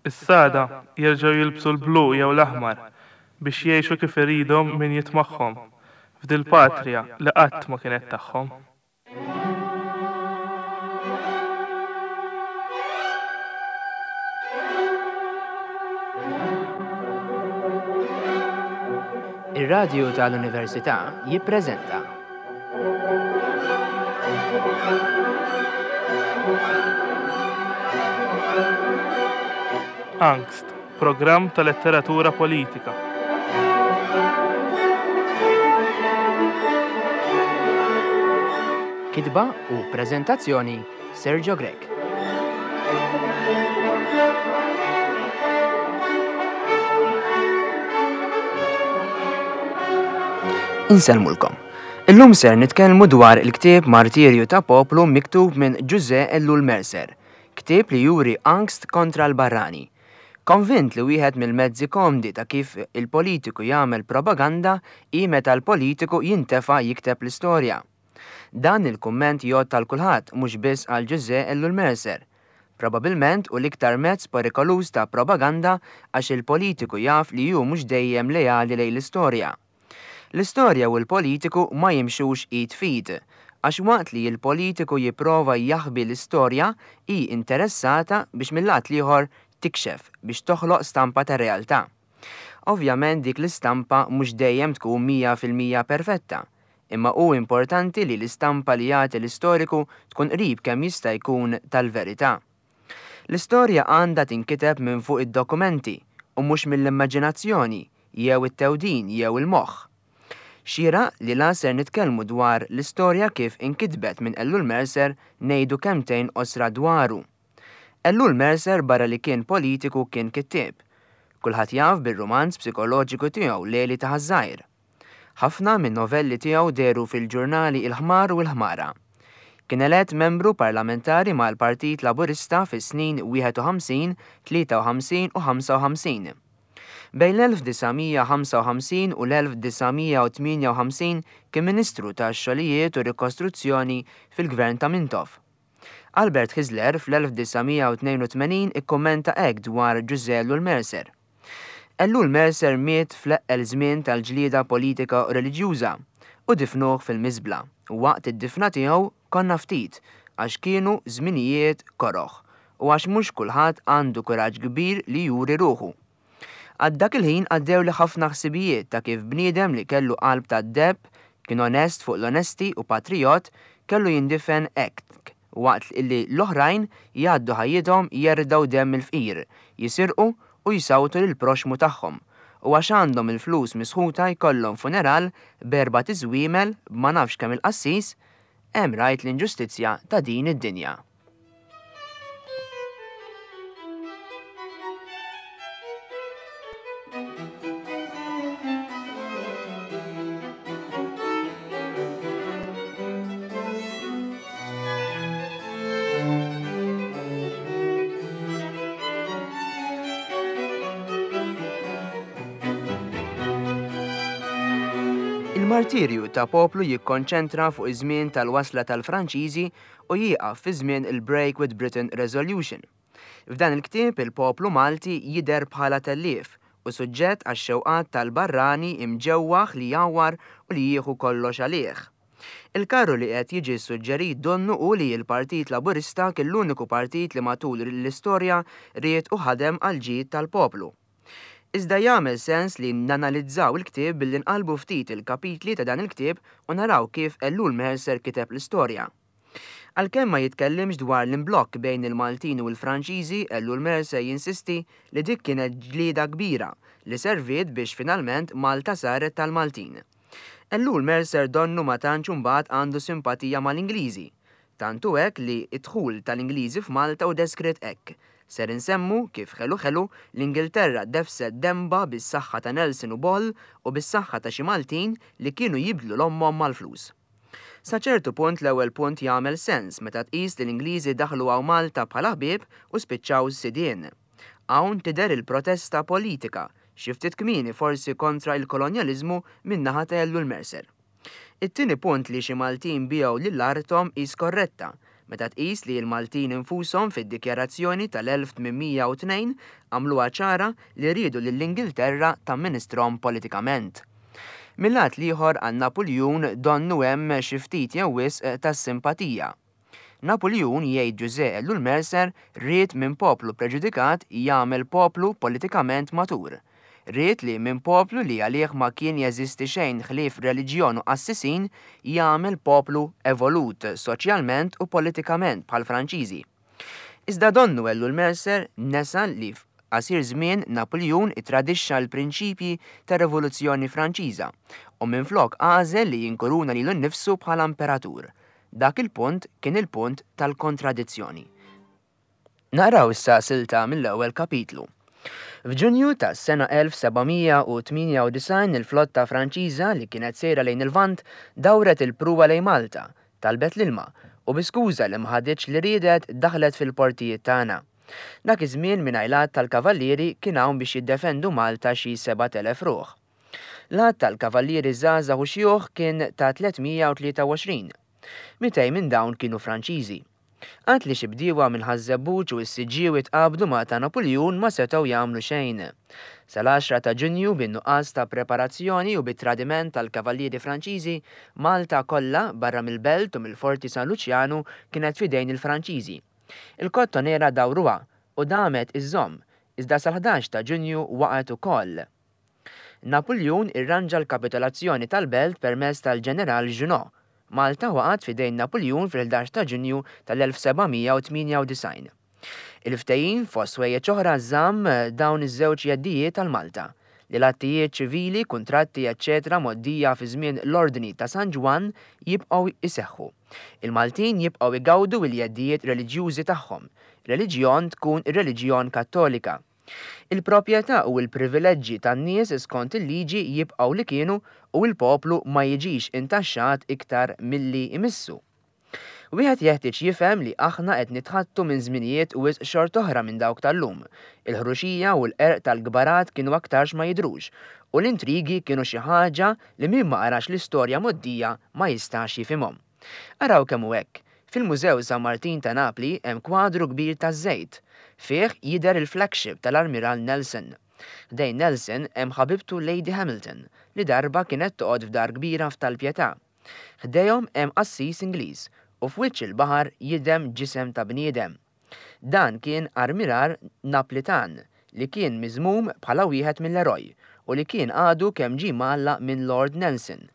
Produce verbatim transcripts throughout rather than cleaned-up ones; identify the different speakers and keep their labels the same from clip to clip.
Speaker 1: Issa għada jerġgħu jilbsu l-blu jew l-aħmar biex jgħixu kif iridhom min jitmagħhom f'dil-patrija li qatt ma kienet tagħhom.
Speaker 2: Ir-Radju tal-Università jippreżenta
Speaker 1: Angst, programm ta' letteratura politika.
Speaker 2: Kitba u preżentazzjoni Sergio Grech. Insellmulkom. Illum ser nitkellmu dwar il-ktieb Martirju ta' Poplu miktub minn Ġużè Ellul Mercer, ktieb li juri angst kontra l-barrani. Konvint li wieħed mill-mezzi komdi ta' kif il-politiku jagħmel propaganda hi meta l-politiku jintefa' jikteb l-istorja. Dan il-kumment jgħodd għal kulħadd mhux biss għal Ġużè Ellul Mercer. Probabilment hu l-iktar mezz perikoluż ta' propaganda għax il-politiku jaf li hu mhux dejjem leali lejn l-istorja. L-istorja u l-politiku ma jimxux id f'id, għax waqt li l-politiku jipprova jaħbi l-istorja hi interessata biex mill-lat l-ieħor tikxef biex toħloq stampa ta' realtà. Ovvjament dik l-istampa mhux dejjem tkun mija fil-mija perfetta, imma hu importanti li l-istampa li jagħti l-istoriku tkun qrib kemm jista' jkun tal-verità. L-istorja għandha tinkiteb minn fuq id-dokumenti u mhux mill-immaġinazzjoni jew it-tewdin jew il-moħħ. Xieraq li la ser nitkellmu dwar l-istorja kif inkitbet minn Ellul Mercer ngħidu kemmtejn qosra dwaru. Ellul Mercer barra li kien politiku kien kittieb. Kulħadd jaf bir-rumanz psikoloġiku tiegħu Leli ta' Ħaż-Żgħir. Ħafna minn novelli tiegħu dehru fil-ġurnali Il-Ħmar u l-Ħmara. Kien elett membru parlamentari mal-Partit Laburista fis-snin wieħed u ħamsin, tlieta u ħamsin u ħamsa u ħamsin. Bejn l-elf disa' mija ħamsa u ħamsin u l-elf disa' mija u tmienja u ħamsin kien Ministru tax-Xogħlijiet u Rikostruzzjoni fil-Gvern ta' Mintoff. Albert Hyzler fl-elf disa' mija u tnejn u tmenin ikkummenta hekk dwar Ġużè Ellul Mercer. Ellul Mercer miet fl-eqqel żmien tal-ġlieda politika u reliġjuża u difnuh fil-miżbla. Waqt id-difna tiegħu konna ftit għax kienu żminijiet koroħ u għax mhux kulħadd għandu kuraġġ kbir li juri ruħu. Għad dak il-ħin għaddew li ħafna ħsibijiet ta' kif bniedem li kellu qalb ta' deb, kien onest fuq l-onesti u patriot, kellu jindifen hekk waqt li l-oħrajn jgħaddu ħajjithom jerdaw demm il-fqir, jisirqu u jsawtu lil proxmu tagħhom, u għax għandhom il-flus misħuta jkollhom funeral b'erba' tiżwiemel b'ma nafx kemm il-qassis, hemm rajt l-inġustizzja ta' din id-dinja. Il-martirju ta' poplu jikkonċentra fuq iż-żmien tal-wasla tal-Franċiżi u jieqaf fi żmien il-Break with Britain Resolution. F'dan il-ktieb il-poplu Malti jidher bħala tellief u suġġett għax-xewqat tal-barrani imġewwaħ li jgħawwar u li jieħu kollox għalih. Il-karru li qed jiġi suġġerit donnu hu li l-Partit Laburista kien l-uniku partit li matul l-istorja ried u ħadem għal ġid tal-poplu. Iżda jagħmel sens li nanalizzaw il-ktieb billi nqalbu ftit il-kapitli ta' dan il-ktieb u naraw kif Ellul Mercer kiteb l-istorja. Għalkemm ma jitkellimx dwar l-imblokk bejn il-Maltin u l-Franċiżi, Ellul Mercer jinsisti li dik kienet ġlieda kbira li serviet biex finalment Malta saret tal-Maltin. Ellul Mercer donnu ma tantx imbagħad għandu simpatija mal-Ingliżi. Tantu hekk li d-dħul tal-Ingliżi f'Malta u deskritt hekk. Ser insemmu kif ħelu ħelu l-Ingilterra defset demba bis-saħħa ta' Nelson u Boll u bis-saħħa ta' xi Maltin li kienu jibdlu l-ommhom mal-flus. Sa ċertu punt l-ewwel punt jagħmel sens meta tqis li l-Ingliżi daħlu hawn Malta bħala ħbieb u spiċċaw sidien. Hawn tidher il-protesta politika, xi ftit kmieni forsi kontra il-kolonjaliżmu min-naħa ta' Ellul Mercer. It-tieni punt li xi Maltin biegħu lil arthom hi skorretta, Meta tqis li l-Maltin infushom fid-dikjarazzjoni tal-elf tmien mija u tnejn għamluha ċara li riedu lill-Ingilterra tamministrahom politikament. Mil-lat l-ieħor għal Napuljun donnu hemm xi ftit jew wisq tas-simpatija. Napuljun, jgħid Ġużè Ellul Mercer, ried minn poplu preġudikat jagħmel poplu politikament matur. Ried li minn poplu li għalih ma kien jeżisti xejn ħlief reliġjon u qassisin jagħmel poplu evolut soċjalment u politikament bħal Franċiżi. Iżda donnu Ellul Mercer nesa li f'qasir żmien Napuljun itradixxa l-prinċipji tar-Rivoluzzjoni Franċiża u minflok għażel li jinkuruna lilu nnifsu bħala imperatur. Dak il-punt kien il-punt tal-kontradizzjoni. Naqraw issa silta mill-ewwel kapitlu. F'Ġunju tas-sena elf seba' mija u tmienja u disgħin il-flotta Franċiża li kienet sejra lejn il-Lvant dawret il-pruwa lejn Malta, talbet l-ilma u bi skuża li ma ħaditx li riedet daħlet fil-portijiet tagħna. Dak iż-żmien mingħajr l-għadd tal-kavallieri kien hawn biex jiddefendu Malta xi sebat elef ruħ. L-għadd tal-kavallieri żgħażagħ u xjuħ kien ta' tliet mija u tlieta u għoxrin. Mitej minn dawn kienu Franċiżi. Għad li xi bdiewa minn Ħaż-Żebbuġ u s-Siġġiewi tqabdu ma' ta' Napuljun ma setgħu jagħmlu xejn. Sal-għaxra ta' Ġunju bin-nuqqas ta' preparazzjoni u bit-tradiment tal-kavallieri Franċiżi, Malta kollha barra mill-belt u mill-Forti San Luċjanu kienet f'idejn il-Franċiżi. Il-Kottonera dawruha u damet iżżomm, iżda sal-ħdax ta' Ġunju waqgħet ukoll. Napuljun irranġa l-kapitolazzjoni tal-belt permezz tal-ġeneral Junot. Malta waqgħet f'idejn Napuljun fil-ħdax ta' Ġunju tal-elf seba' mija u tmienja u disgħin. Il-ftehim fost ħwejjeġ oħra żamm dawn iż-żewġ jeddijiet tal Malta, li l-attijiet ċivili, kuntratti, eċċetera mgħoddija fi żmien l-Ordni ta' San Ġwann jibqgħu jseħħu. Il-Maltin jibqgħu igawdu l-jeddijiet reliġjużi tagħhom. Reliġjon tkun ir-reliġjon Kattolika. Il-proprjetà u l-privileġġi tan-nies skont il-liġi jibqgħu li kienu u l-poplu ma jiġix intaxxat iktar milli jmissu. Wieħed jeħtieġ jifhem li aħna qed nitħattu minn żminijiet u wisq xort oħra minn dawk tal-lum. Il-ħruxija u l-qerq tal-kbarat kienu aktarx ma jidhrux, u l-intrigi kienu xi ħaġa li min ma qarax l-istorja mgħoddija ma jistax jifhimhom. Araw kemm hu hekk. Fil-Mużew San Martin ta' Napli hemm kwadru kbir taż-żejt. Fih jidher il-flagship tal-Armiral Nelson. Ħdejn Nelson hemm ħabibtu Lady Hamilton, li darba kienet toqgħod f'dar kbira f'Tal-Pietà. Ħdejhom hemm qassis Ingliż u f'wiċċ il-baħar jidhem ġisem ta' bniedem. Dan kien Armiral Naplitan li kien miżmum bħala wieħed mill-eroj u li kien għadu kemm ġie mgħallaq minn Lord Nelson.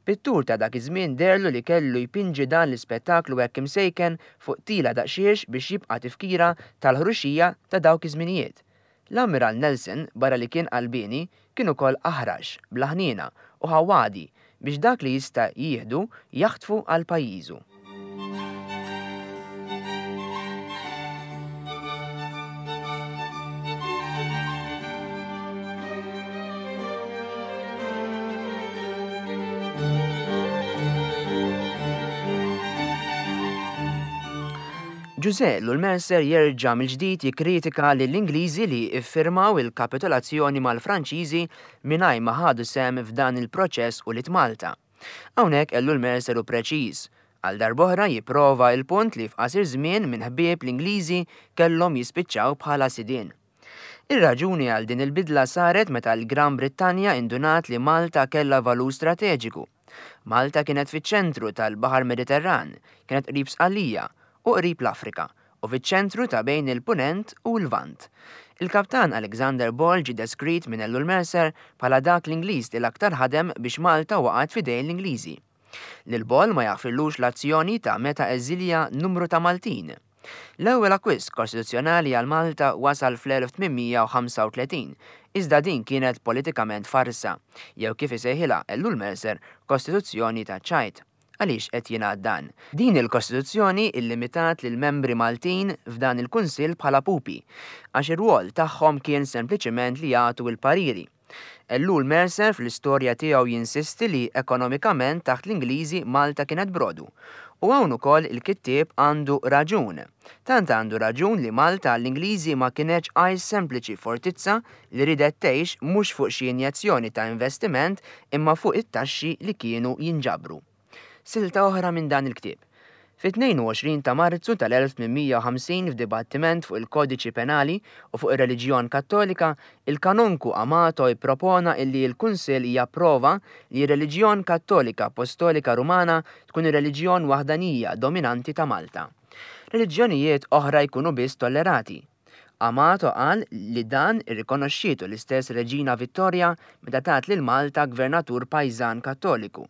Speaker 2: Pittur ta' dak iż-żmien derlu li kellu jpinġi dan l-ispettaklu hekk imsejken fuq tila daqsxiex biex jibqa' tifkira tal-ħruxija ta' dawk iż-żminijiet. L-Ammiral Nelson, barra li kien qalbieni, kien ukoll aħrax, bla ħniena u ħawadi biex dak li jista' jieħdu jaħtfu għal pajjiżu. Ġużè Ellul Mercer jerġa' mill-ġdid jikkritika lill-Ingliżi li iffirmaw il-kapitolazzjoni mal-Franċiżi mingħajr ma ħadu sehem f'dan il-proċess u lit Malta. Hawnhekk Ellul Mercer hu preċiż. Għal darb'oħra jipprova il-punt li f'qasir żmien minn ħbieb l-Ingliżi kellhom jispiċċaw bħala sidien. Ir-raġuni għal din il-bidla saret meta l-Gran Brittanja indunat li Malta kellha valur strateġiku. Malta kienet fiċ-ċentru tal-Baħar Mediterran, kienet qrib Sqallija u qrib l-Afrika u fiċ-ċentru ta' bejn il-Punent u l-Lvant. Il-kaptan Alexander Ball ġie deskrit minn Ellul Mercer bħala dak l-Ingliż li l-aktar ħadem biex Malta waqgħet f'idejn l-Ingliżi. Lil Ball ma jaħfirlux l-azzjoni ta' meta eżilja numru ta' Maltin. L-ewwel akkwist kostituzzjonali għal Malta wasal fl-elf tmien mija u ħamsa u tletin, iżda din kienet politikament farsa, jew kif isejħilha Ellul Mercer kostituzzjoni ta' ċajt. Għaliex qed jingħad dan? Din il-Kostituzzjoni illimitat lil membri Maltin f'dan il-Kunsill bħala pupi, għax ir-rwol tagħhom kien sempliċement li jagħtu l-pariri. Ellul Mercer fl-istorja tiegħu jinsisti li ekonomikament taħt l-Ingliżi Malta kienet brodu. U hawn ukoll il-kittieb għandu raġun. Tant għandu raġun li Malta l-Ingliżi ma kienx għajr sempliċi fortizza li ridet tgħix mhux fuq xi injezzjoni ta' investiment imma fuq it-taxxi li kienu jinġabru. Silta oħra minn dan il-ktieb. Fit-tnejn u għoxrin ta' Marzu tal-elf tmien mija u ħamsin f'dibattiment fuq il-Kodiċi Penali u fuq ir-reliġjon Kattolika, il-Kanonku Amato ippropona illi l-Kunsill japprova li r-reliġjon Kattolika Apostolika Rumana tkun ir-reliġjon waħdanija dominanti ta' Malta. Reliġjonijiet oħra jkunu biss tollerati. Amato qal li dan irrikonoxxietu l-istess Reġina Vittoria meta tat lil Malta gvernatur pajżan Kattoliku.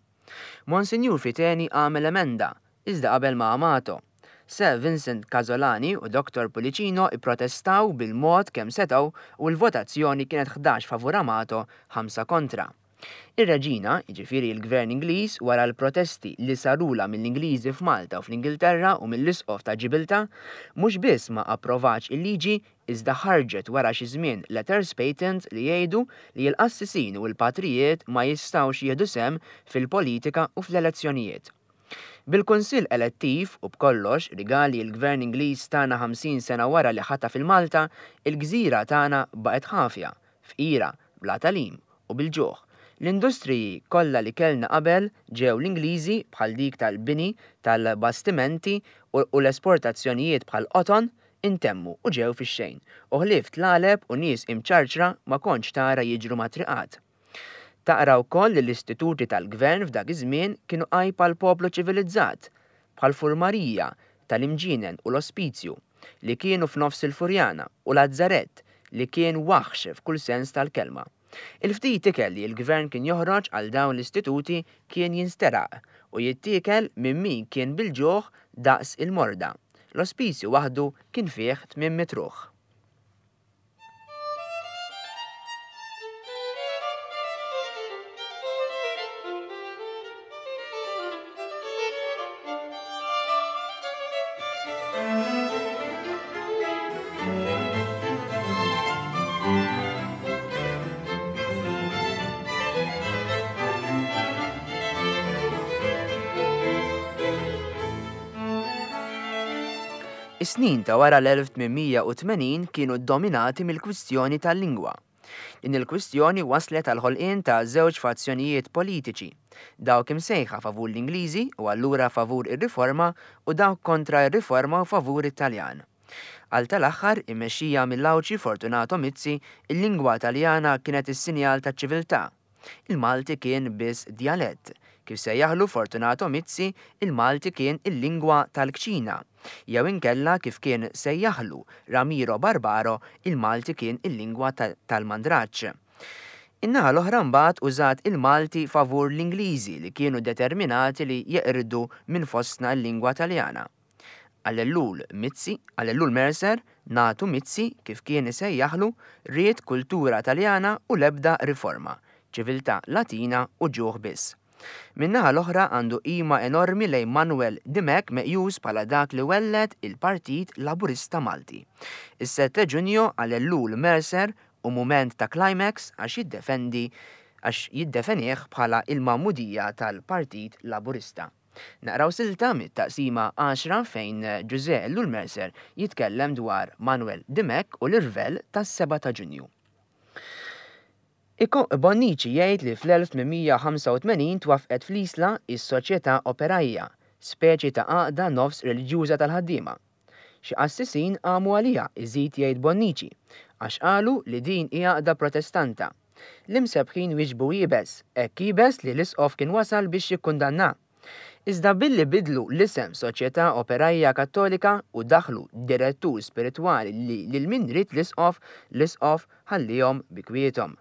Speaker 2: Monsinjur Fiteni għamel emenda, iżda qabel ma' Amato. Sir Vincent Casolani u Doktor Pullicino ipprotestaw bil-mod kemm setgħu u l-votazzjoni kienet ħdax favur Amato, ħamsa kontra. Ir-reġina, jiġifieri l-Gvern Ingliż, wara l-protesti li sarula mill-Ingliżi f'Malta u fl-Ingilterra u mill-Isqof ta' Ġibiltà, mhux biss ma approvax il-liġi, iżda ħarġet wara xi żmien letters patent li jgħidu li l-qassisin u l-patrijiet ma jistgħux jieħdu sehem fil-politika u fl-elezzjonijiet. Bil-Kunsill elettiv u b'kollox rigali l-Gvern Ingliż tagħna ħamsin sena wara li ħataf il-Malta, il-gżira tagħna baqgħet ħafja, fqira, bla tagħlim u bil-ġuħ. L-industriji kollha li kellna qabel ġew l-Ingliżi bħal dik tal-bini, tal-bastimenti u, u l-esportazzjonijiet bħal qoton intemmu u ġew fix-xejn. U ħlief tlaleb u nies imċarċra ma kontx tara jiġru mat-triqat. Taqra wkoll li l-istituti tal-gvern f'dak iż-żmien kienu għajb għal poplu ċivilizzat, bħal furmarija tal-Imġienen u l-Ospizju li kienu f'nofs il-Furjana u Lazzarett li kien waħx f'kull sens tal-kelma. Il-ftit ikel li l-gvern kien joħroġ għal dawn l-istituti kien jinsteraq u jittiekel minn min kien bil-ġuħ daqs il-morda. L-ospizju waħdu kien fih tmien mitt ruħ. Is-snin ta' wara l-elf tmien mija u tmenin kienu dominati mill-kwistjoni tal-lingwa. Din il-kwistjoni waslet għal ħolqien ta' żewġ fazzjonijiet politiċi, dawk imsejħa favur l-Ingliżi u allura favur ir-riforma u dawk kontra r-riforma u favur it-Taljan. Għal tal-aħħar, immexxija mill-Għawdxi Fortunato Mizzi, il-lingwa Taljana kienet is-sinjal taċ-ċiviltà. Il-Malti kien biss djalett. Kif sejjaħlu Fortunato Mizzi, il-Malti kien il-lingwa tal-kċina. Jew inkella kif kien sejjaħlu Ramiro Barbaro, il-Malti kien il-lingwa ta-, tal-mandraġġ. In-naħa l-oħra mbagħad użat il-Malti favur l-Ingliżi li kienu determinati li jeqirdu minn fostna l-lingwa Taljana. Għal Ellul Mizzi, għal Ellul Mercer, Natu Mizzi, kif kien isejjaħlu, ried kultura Taljana u l-ebda riforma, ċiviltà Latina u ġuħ biss. Min-naħa l-oħra għandu qima enormi lejn Manuel Dimech meqjus bħala dak li welled il-Partit Laburista Malti. Is-sette Ġunju għal Ellul Mercer u mument ta' climax għax jiddefendi għax jiddefenih bħala il-mamudija tal-Partit Laburista. Naqraw silta mit-taqsima għaxra fejn Ġużè Ellul Mercer jitkellem dwar Manuel Dimech u l-irvell tas-seba ta' Ġunju. Iko Bonnici jgħid li fl-elf tmien mija ħamsa u tmenin twaffqet fl-Isla is-Soċjetà Operajja, speċi ta' għaqda nofs reliġjuża tal-ħaddiema. Xi qassisin qamu għaliha, iżid jgħid Bonnici, għax qalu li din hi għaqda protestanta. L-imsebħin wieġbu iebes, hekk iebes li l-isqof kien wasal biex jikkundanna. Iżda billi bidlu l-isem Soċjetà Operajja Kattolika u daħlu direttur spiritwali li lil min ried l-isqof, l-isqof ħallihom bi kwiethom.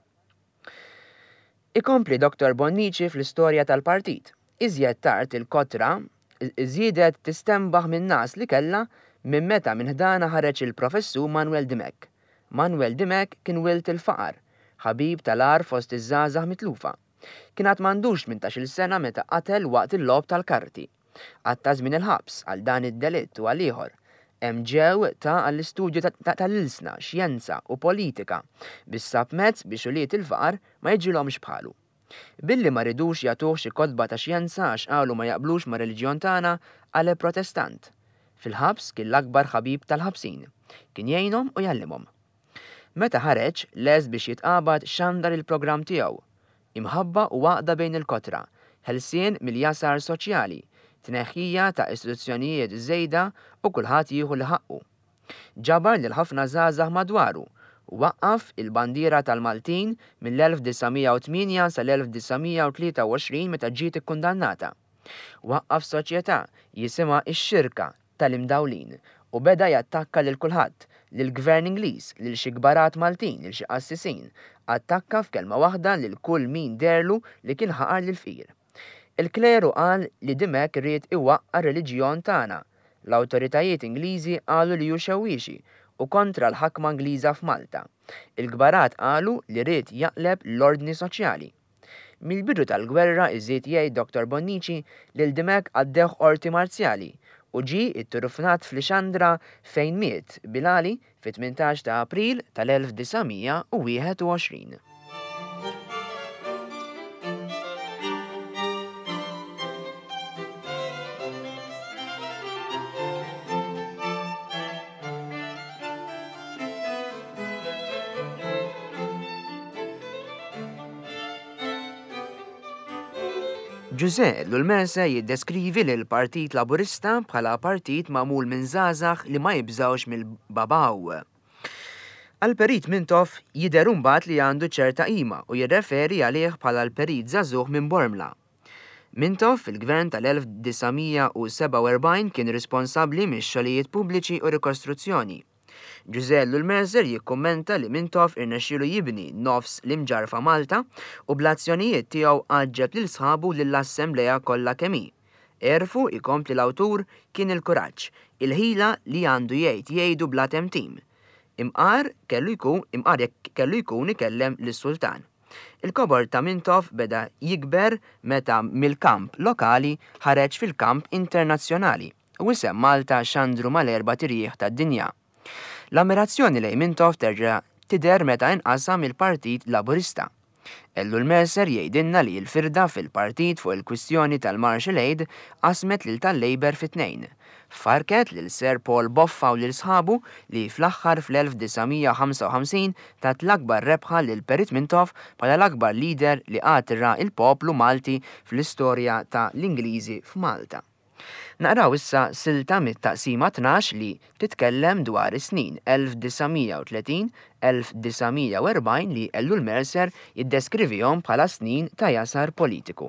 Speaker 2: Ikompli Doktor Bonnici fl-istorja tal-partit. Iżjed tard il-kotra żiedet tistembaħ minn nas li kellha minn meta minn ħdana ħareġ il-professur Manuel Dimech. Manuel Dimech kien wilt il-faqar, ħabib tal-għar fost iż-żgħażagħ mitlufa. Kien għad m'għandux tmintax-il sena meta qatel waqt il-logħob tal-karti. Għatta żmien il-ħabs għal dan id-delitt u għal ieħor. Hemm ġew ta' għall-istudju ta-, ta-, tal-ilsna, xjenza u politika biex sab mezz biex ulied il-faqar ma jiġilhomx bħalu. Billi ma ridux jagħtuh xi kotba ta' xjenza għax qalu ma jaqblux ma' reliġjon tagħna, għale protestant. Fil-ħabs kien l-akbar ħabib tal-ħabsin. Kien jgħinhom u jgħallimhom. Meta ħareġ, les biex jitqabad xandar il-programm tiegħu. Imħabba u għaqda bejn il-kotra, ħelsien mill-jasar soċjali, Tneħħija ta' istituzzjonijiet żejda u kulħadd jieħu li ħaqqu. Ġabar lil ħafna żgħażagħ madwaru u waqqaf il-bandiera tal-Maltin mill-elf disa' mija u tmienja sal-elf disa' mija u tlieta u għoxrin meta ġiet ikkundannata. Waqqaf soċjetà jisimha x-Xirka tal-Imdawlin u beda jattakka lil kulħadd, lill-Gvern Ingliż, lil xi kbarat Maltin, lil xi qassisin. Attakka f'kelma waħda lil kull min deherlu li kien ħaqar lill-fqir. Il-kleru qal li Dimech ried iwaqqa' r-reliġjon tagħna. L-awtoritajiet Ingliżi qalu li hu xewwiexi u kontra l-ħakma Ingliża f'Malta. Il-kbarat qalu li ried jaqleb l-ordni soċjali. Mill-bidu tal-gwerra iżid jgħid Doktor Bonnici lil Dimech għaddewh qorti marzjali u ġie itturufnat f'Lixandra fejn miet Bilali fit-tmintax ta' April tal-elf disa' mija u wieħed u għoxrin. Ġużè Ellul Mercer jiddeskrivi lil Partit Laburista bħala partit magħmul minn żgħażagħ li ma jibżgħux mill-babaw. Għall-Perit Mintoff jidher imbagħad li għandu ċerta qima u jirreferi għalih bħala l-Perit żagħżugħ minn Bormla. Mintoff fil-gvern tal-elf disa' mija u sebgħa u erbgħin kien responsabbli mix-xogħlijiet pubbliċi u rikostruzzjoni. Ġużè Ellul Mercer jikkummenta li Mintoff irnexxielu jibni nofs l-imġarfa Malta u bl-azzjonijiet tiegħu għaġġeb lil sħabu lill-Assemblea kollha kemm hi. Erfu ikompli l-awtur kien il-kuraġġ, il-ħila li għandu jgħid jgħidu bla temtim. Imqar kellu jkun, imqar jekk kellu jkun ikellem lis-sultan. Il-kobor ta' Mintoff beda jikber meta mill-kamp lokali ħareġ fil-kamp internazzjonali u isem Malta xandru mal-erba' tirjieħ tad-dinja. L-ammirazzjoni lejn Mintoff terġa' tidher meta inqasam il-Partit Laburista. Ellul Mercer jgħidilna li l-firda fil-partit fuq il-kwistjoni tal-Marshall Aid qasmet lil tal-Labour fi tnejn. Farket lil Sir Paul Boffa u lil sħabu li fl-aħħar fl-elf disa' mija ħamsa u ħamsin tat l-akbar rebħa lil Perit Mintoff bħala l-akbar lider li qatt ra il-poplu Malti fl-istorja ta' l-Ingliżi f'Malta. Naqraw issa silta mit-taqsima tnax li titkellem dwar is-snin elf disa' mija u tletin, elf disa' mija u erbgħin li Ellul Mercer jiddeskrivihom bħala snin ta' jasar politiku.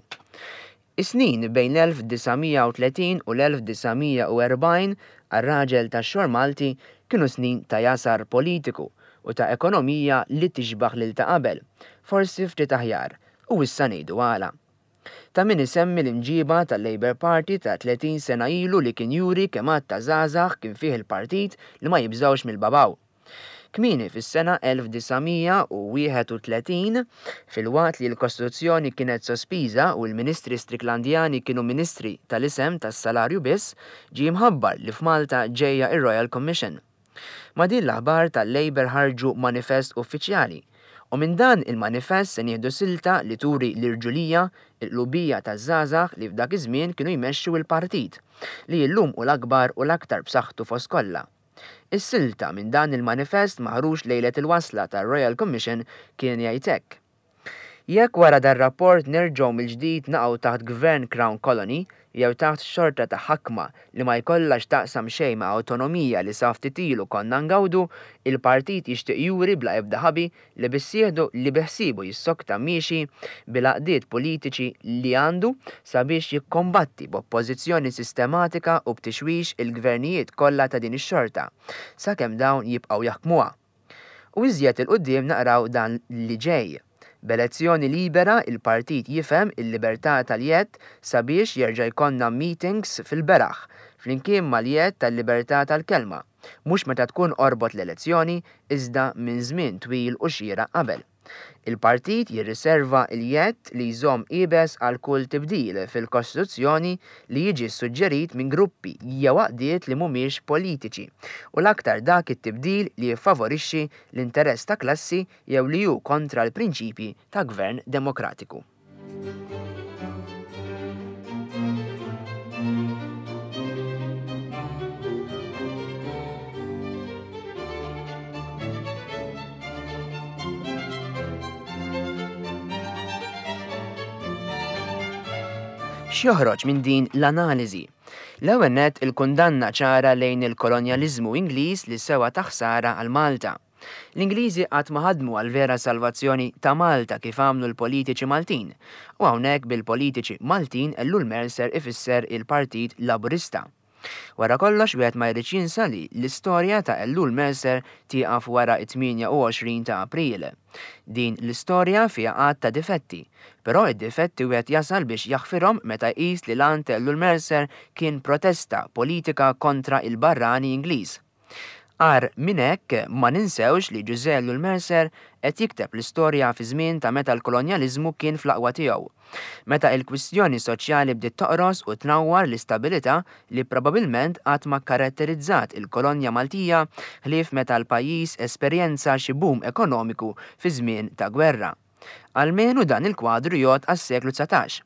Speaker 2: Is-snin bejn l-elf disa' mija u tletin u l-elf disa' mija u erbgħin għar-raġel tax-xor Malti kienu snin ta' jasar politiku u ta' ekonomija li tixbaħ lil ta' qabel, forsi ftit aħjar, u issa ngħidu għala. Ta' min isemmi l-imġiba tal-Labour Party ta' tletin sena ilu li kien juri kemm għadd ta' żgħażagħ kien fih il-partit li ma jibżgħux mill-babaw. Kmieni fis-sena elf disa' mija u wieħed u tletin, filwaqt li l-Kostituzzjoni kienet sospiża u l-Ministri Stricklandjani kienu ministri tal-isem tas-salarju biss, ġie mħabbar li f'Malta ġejja ir-Royal Commission. Ma' din l-aħbar tal-Labour ħarġu manifest uffiċjali, u minn dan il-manifest se nieħdu silta li turi l-irġulija, il-qlubija taż-żgħażagħ li f'dak iż-żmien kienu jmexxu l-partit, li llum hu l-akbar u l-aktar b'saħħtu fost kollha. Is-silta minn dan il-manifest maħruġ lejlet il-wasla tar-Royal Commission kien jgħid hekk. Jekk wara dar-rapport nerġgħu mill-ġdid naqgħu taħt Gvern Crown Colony jew taħt xorta ta' ħakma li ma jkollha x'taqsam xejn ma' awtonomija li sa ftit ilu konna ngawdu, il-partit jixtieq juri bla ebda ħabi li bissieħdu li biħsibu jissokta miexi bil-għaqdiet politiċi li għandu sabiex jikkombatti b'oppożizzjoni sistematika u b'tixwix il-gvernijiet kollha ta' din ix-xorta, sakemm dawn jibqgħu jaħkmuha. U iżjed il-quddiem naqraw dan li ġej. B'elezzjoni libera, il-partit jifhem il-libertà tal-jedd sabiex jerġa' jkollna meetings fil-beraħ, flimkien mal-jedd tal-libertà tal-kelma, mhux meta tkun qorbot l-elezzjoni, iżda minn żmien twil u xieraq qabel. Il-partit jirriserva l-jedd li jżomm iebes għal kull tibdil fil-Kostituzzjoni li jiġi suġġerit minn gruppi jew għaqdiet li mhumiex politiċi, u l-aktar dak it-tibdil li jiffavorixxi l-interess ta' klassi jew li hu kontra l-prinċipji ta' gvern demokratiku. X'joħroġ minn din l-analiżi? L-ewwel nett il-kundanna ċara lejn il-kolonjaliżmu Ingliż li sewa ta' ħsara għal Malta. L-Ingliżi qatt ma ħadmu għal vera salvazzjoni ta' Malta kif għamlu l-politiċi Maltin, u hawnhekk bil-politiċi Maltin Ellul Mercer ifisser il-Partit Laburista. Wara kollox wieħed ma jridx jinsa li l-istorja ta' Ellul Mercer tieqaf wara t-tmienja u għoxrin ta' April. Din l-istorja fiha għadd ta' difetti, però id-difetti wieħed jasal biex jaħfirhom meta jqis li l-għan ta' Ellul Mercer kien protesta politika kontra il-barrani Ingliż. Agħar minn hekk ma ninsewx li Ġużè Ellul Mercer qed jikteb l-istorja fi żmien ta' meta l-kolonjaliżmu kien fl-aqwa tiegħu. Meta il-kwistjoni soċjali bdiet toqros u tnawwar l-istabilità li probabilment qatt ma karatterizzat il-kolonja Maltija ħlief meta l-pajjiż esperjenza xi boom ekonomiku fi żmien ta' gwerra. Almenu dan il-kwadru jgħod għas-seklu dsatax.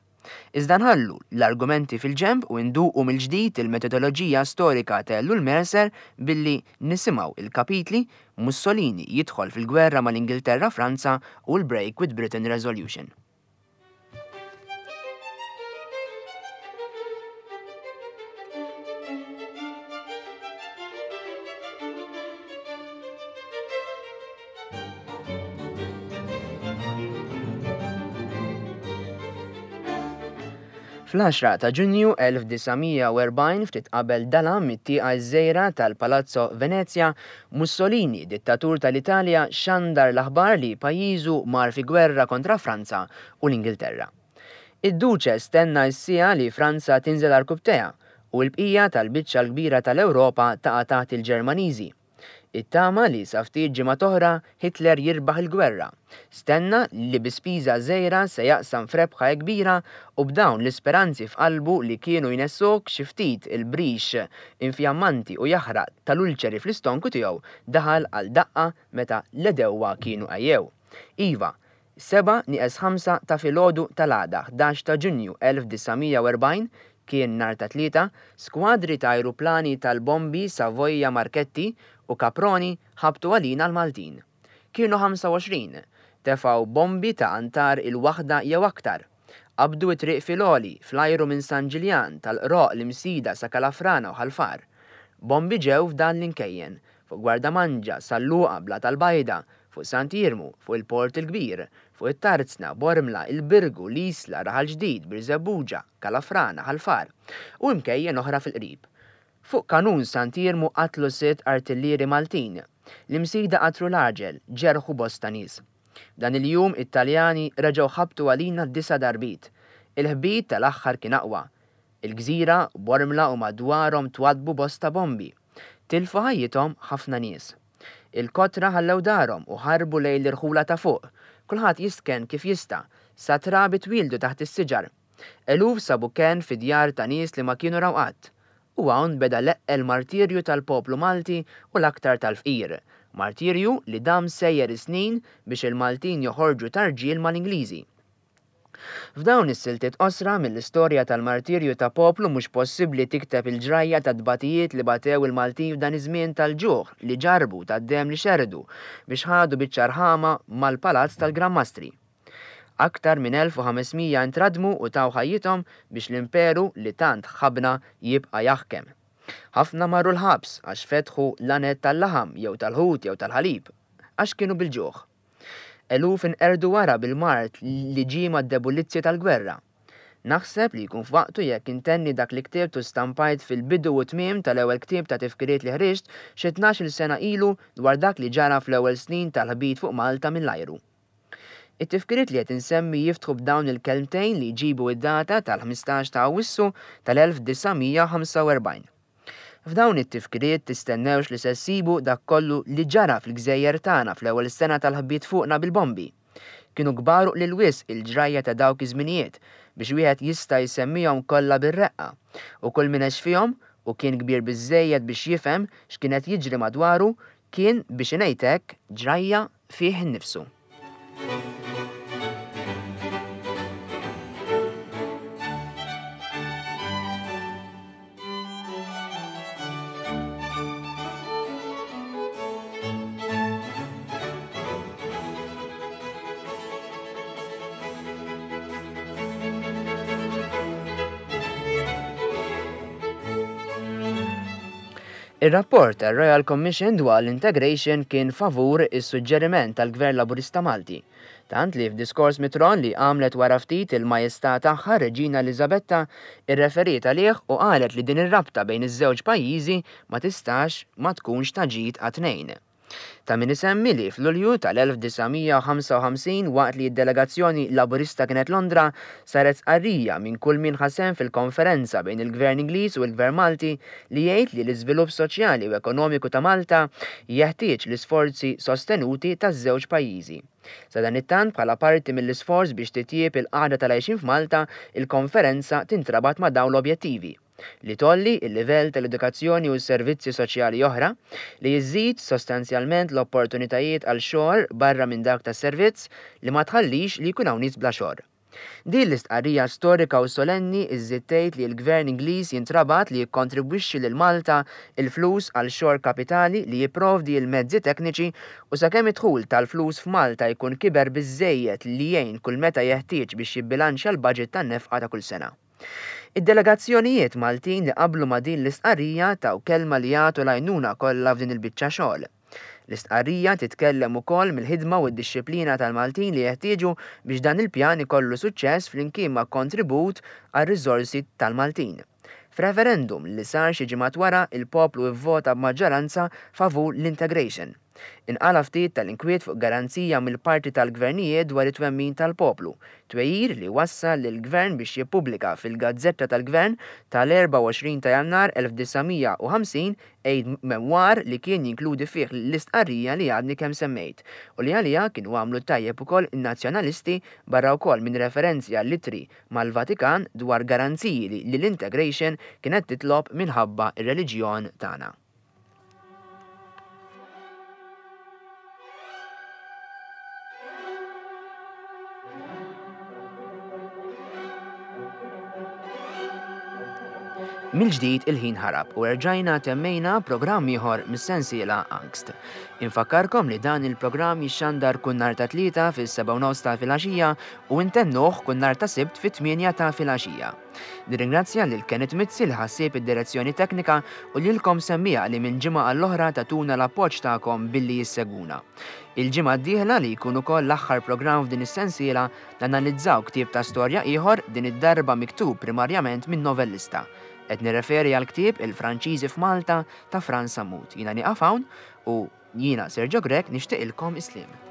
Speaker 2: Iżda nħallu l-argumenti fil-ġemb u nduqu mill-ġdid il-metodoloġija storika ta' Ellul Mercer billi nisimgħu il-kapitli Mussolini jidħol fil-gwerra mal-Ingilterra Franza u l-Break with Britain Resolution. Fl-għaxra ta' Ġunju elf disa' mija u erbgħin ftit qabel dalam mit-tieqa ż-żgħira tal-Palazzo Venezia, Mussolini, dittatur tal-Italja, xandar l-aħbar li pajjiżu mar fi gwerra kontra Franza u l-Ingilterra. Id-Duċe stenna s-siegħa li Franza tinżel għarkupptejha u l-bqija tal-biċċa l-kbira tal-Ewropa taqa' taħt il-Ġermaniżi. Ittama li sa ftit ġimgħa oħra Hitler jirbaħ il-gwerra. Stenna li bi spiża żgħira se jaqsam f'rebħa kbira u b'dawn l-isperanzi f'qalbu li kienu jnessuk xi ftit il-brix infjammanti u jaħraq tal-ulċeri fl-istonku tiegħu daħal għal daqqa meta l-edewwa kienu għajjew. Iva, seba' nieqes ħamsa ta' filgħodu tal-għada ħdax ta' Ġunju elf disa' mija u erbgħin kien nhar ta' tlieta, skwadri ta' ajruplani tal-bombi Savoia Marchetti u Caproni ħabtu għalina l-Maltin. Kienu ħamsa u għoxrin, tefgħu bombi ta' antar il-waħda jew aktar. Qabdu it-triq fil-għoli, fl-ajru minn San Ġiljan, tal-Qroq l-Imsida sa Kalafrana u Ħal Far. Bombi ġew f'dan l-inkejjen, fuq Gwardamanġa, Salluqa, Bla tal-Bajda, fuq Sant'Iermu, fuq il-Port il-Kbir, fuq it-Tarzna, Bormla, il-Birgu, l-Isla, Raħal Ġdid, Birżebbuġa, Kalafrana, Ħal Far, u imkejjen oħra fil-qrib. Fuq kanun Sant'Iermu qatlu sitt artillieri Maltin, l-Imsida qatlu l-għaġel, ġerħu bosta nies. Dan il-jum it-Taljani reġgħu ħabtu għalina disa' darbit. Il-ħbit tal-aħħar kien aqwa. Il-gżira, Bormla u madwarhom twadbu bosta bombi. Tilfu ħajjithom ħafna nies. Il-kotra ħallew darhom u ħarbu lejn l-irħula ta' fuq. Kulħadd jistken kif jista', sa trabi twildu taħt is-siġar. Eluf sabu kenn fi djar ta' nies li ma kienu raw qatt. U hawn beda l-eqqel martirju tal-poplu Malti u l-aktar tal-fqir. Martirju li dam sejjer snin biex il-Maltin joħorġu tarġiel mal-Ingliżi. F'dawn is-siltiet qosra mill-istorja tal-martirju ta' poplu mhux possibbli tikteb il-ġrajja ta' tbatijiet li batew il-Maltin f'dan iż-żmien tal-ġuħ li ġarbu tad-demm li xerdu biex ħadu biċċa rħama mal-Palazz tal-Gran Mastri. Aktar minn elf u ħames mija intradmu u taw ħajjithom biex l-imperu li tant ħabna jibqa' jaħkem. Ħafna marru l-ħabs għax fetħu l-anet tal-laħam jew tal-ħut jew tal-ħalib għax kienu bil-ġuħ. Eluf inqerdu wara bil-mard li ġie mad-debulizzi tal-gwerra. Naħseb li jkun f'waqtu jekk intenni dak li ktibt u stampajt fil-bidu u tmiem tal-ewwel ktieb ta' tifkiriet li ħriġt xi tnax-il sena ilu dwar dak li ġara fl-ewwel snin tal-ħbit fuq Malta mill-ajru. It-tifkiriet li qed insemmi jiftħu b'dawn il-kelmtejn li jġibu id-data tal-ħmistax ta' Awwissu tal-elf disa' mija ħamsa u erbgħin. F'dawn it-tifkiriet tistennewx li se ssibu dak kollu li ġara fil-gżejjer tagħna fl-ewwel sena tal-ħbiet fuqna bil-bombi. Kienu kbar u lil wisq il-ġrajja ta' dawk iż-żminijiet biex wieħed jista' jsemmihom kollha bir-reqqa, u kull min għex fihom u kien kbir biżżejjed biex jifhem x'kien qed jiġri madwaru kien biex ingħid hekk ġrajja fih innifsu. Ir-rapport tar-Royal Commission dwar l-Integration kien favur is-suġġeriment tal-Gvern Laburista Malti. Tant li f'diskors mit-tron li għamlet wara ftit il-Majestà tagħha Reġina Eliżabetta irreferiet għalih u qalet li din ir-rabta bejn iż-żewġ pajjiżi ma tistax ma tkunx ta' ġid għat-tnejn. Ta' min isemmi li f'Lulju tal-elf disa' mija u ħamsa u ħamsin waqt li d-delegazzjoni Laburista kienet Londra saret stqarrija minn kull min ħa sehem fil-konferenza bejn il-Gvern Ingliż u l-Gvern Malti li jgħid li l-iżvilupp soċjali u ekonomiku ta' Malta jeħtieġ l-isforzi sostenuti taż-żewġ pajjiżi. Sadanittant bħala parti mill-isforz biex titjieb il-qagħda tal-għajxien f'Malta, il-konferenza tintrabat ma' dawn l-objettivi: li tgħolli l-livell tal-edukazzjoni u s-servizzi soċjali oħra, li jiżżid sostanzjalment l-opportunitajiet għal xogħol barra minn dak tas-servizz, li ma tħallix li jkun hawn nies bla xogħol. Din l-istqarrija storika u solenni iżżid tgħid li l-Gvern Ingliż jintrabat li jikkontribwixxi lil Malta il-flus għal xogħol kapitali li jipprovdi l-mezzi tekniċi u sakemm id-dħul tal-flus f'Malta jkun kiber biżżejjed li jgħin kull meta jeħtieġ biex jibbilanċja l-budget tan-nefqa ta' kull sena. Id-delegazzjonijiet Maltin li qablu ma' din l-istqarrija taw kelma li jagħtu l-għajnuna kollha f'din il-biċċa xogħol. L-istqarrija titkellem ukoll mill-ħidma u d-dixxiplina tal-Maltin li jeħtieġu biex dan il-pjan ikollu suċċess flimkien ma' kontribut għar-riżorsi tal-Maltin. F'referendum li sar xi ġimgħat wara, il-poplu ivvota b'maġġoranza favur l-integration. Inqala ftit tal-inkwiet fuq garanzija mill-parti tal-gvernijiet dwar it-twemmin tal-poplu, twejjir li wassal lill-gvern biex jippubblika fil-Gazzetta tal-Gvern tal-erbgħa u għoxrin ta' Jannar elf disa' mija u ħamsin aide memoir li kien jinkludi fih l-istqarrija li għadni kemm semmejt u li għaliha kienu għamlu tajjeb ukoll in-nazzjonalisti barra wkoll minn referenzi għall-ittri mal-Vatikan dwar garanziji li l-integration kienet titlob minħabba ir-reliġjon tagħna. Mill-ġdid il-ħin ħarab u erġajna temmejna programm ieħor mis-sensiela Angst. Infakkarkom li dan il-programm jixxandar kull nhar ta' tlieta fis-sebgħa u nofs ta' filgħaxija u ntennuh kull nhar ta' Sibt fit-tmienja ta' filgħaxija. Nirringrazzja lil Kenneth Mizzi li ħassieb id-direzzjoni teknika u lilkom semmija li minn ġimgħa għall-oħra tatuna l-appoġġ tagħkom billi jissegwuna. Il-ġimgħa d-dieħla li jkun ukoll l-aħħar programm f'din is-sensiela nanalizzaw ktieb ta' storja ieħor din id-darba miktub primarjament minn novellista. Qed nirreferi għal ktieb Il-Franċiżi f'Malta ta' Frans Sammut. Jiena nieqaf hawn u jiena Sergio Grech nixtieqilkom is-sliem.